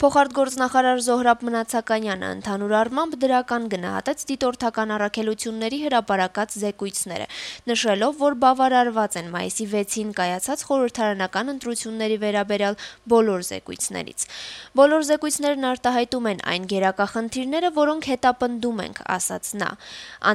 Փոխարտգործնախարար Զոհրաբ Մնացականյանը ընդհանուր առմամբ դրական գնահատեց դիտորդական առաքելությունների հրապարակած զեկույցները, նշելով, որ բավարարված են մայիսի 6-ին կայացած խորհրդարանական ընտրությունների վերաբերյալ բոլոր զեկույցներից։ Բոլոր զեկույցներն արտահայտում են այն գերակա խնդիրները, որոնք հետապնդում ենք, ասաց նա։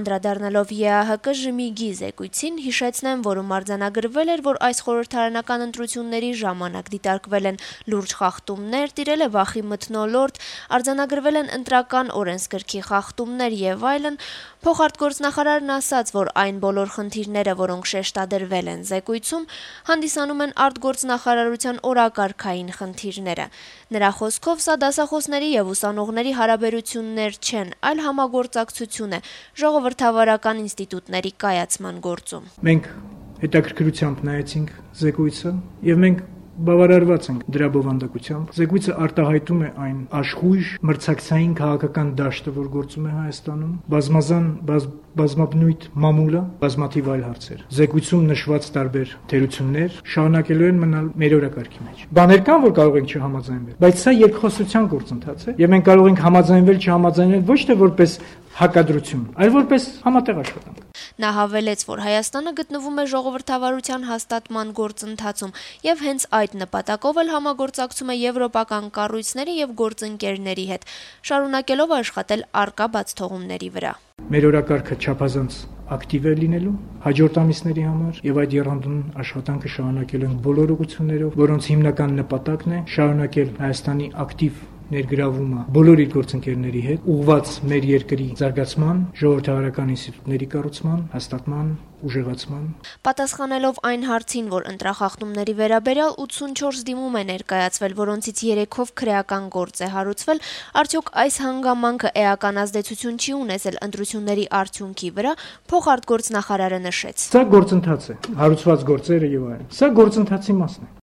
Անդրադառնալով ԵԱՀԿ ԺՄԻԳ-ի զեկույցին, հիշեցնեմ, որում արձանագրվել էր, որ այս խորհրդարանական ընտրությունների ժամանակ դիտարկվել են լուրջ խախտումներ, տիրել է վախի մթնոլորտ, արձանագրվել են ընտրական օրենսգրքի խախտումներ եւ այլն, փոխարտգործնախարարն ասաց, որ այն բոլոր խնդիրները, որոնք շեշտադրվել են զեկույցում, հանդիսանում են արտգործնախարարության օրակարգային խնդիրները։ Նրա խոսքով սա դասախոսների եւ ուսանողների հարաբերություններ չեն, այլ համագործակցություն է ժողովրդավարական ինստիտուտների կայացման գործում։ Մենք հետաքրքրությամբ նայեցինք զեկույցը եւ մենք բավարարված ենք դրա բովանդակությամբ։ Զեկույցը արտահայտում է այն աշխույժ մրցակցային քաղաքական դաշտը, որ գործում է Հայաստանում, բազմաբնույթ մամուլը, բազմաթիվ այլ հարցեր։ Զեկույցում նշված տարբեր թերություններ շարունակելու են մնալ մեր օրակարգի մեջ։ Բաներ կան, որ կարող ենք չհամաձայնվել, բայց սա երկխոսության գործընթաց է, եւ մենք կարող ենք համաձայնվել, չհամաձայնվել ոչ թե որպես հակադրություն, այլ որպես համատեղ աշխատանք։ Նա հավելեց, որ Հայաստանը գտնվում է ժողովրդավարության հաստատման գործընթացում եւ հենց այդ նպատակով էլ համագործակցում է եվրոպական կառույցների եւ գործընկերների հետ, շարունակելով աշխատել առկա բացթողումների վրա։ Մեր օրակարգը չափազանց ակտիվ է լինելու հաջորդ ամիսների համար եւ այդ եռանդուն աշխատանքը շարունակելու ենք բոլոր ուղղություններով, որոնց հիմնական նպատակն է շարունակել Հայաստանի ակտիվ ներգրավումը բոլոր իր գործընկերների հետ ուղղված մեր երկրի զարգացման, ժողովրդավարական ինստիտուտների կառուցման, հաստատման, ուժեղացման։ Պատասխանելով այն հարցին, որ ընտրախախտումների վերաբերյալ 84 դիմում է ներկայացվել, որոնցից 3-ով քրեական գործ է հարուցվել, արդյոք այս հանգամանքը էական ազդեցություն չի ունեցել ընտրությունների արդյունքի վրա, փոխարտգործնախարարը նշեց։ Սա գործընթաց է, հարուցված գործերը եւ այլն։ Սա գործընթացի մասն է։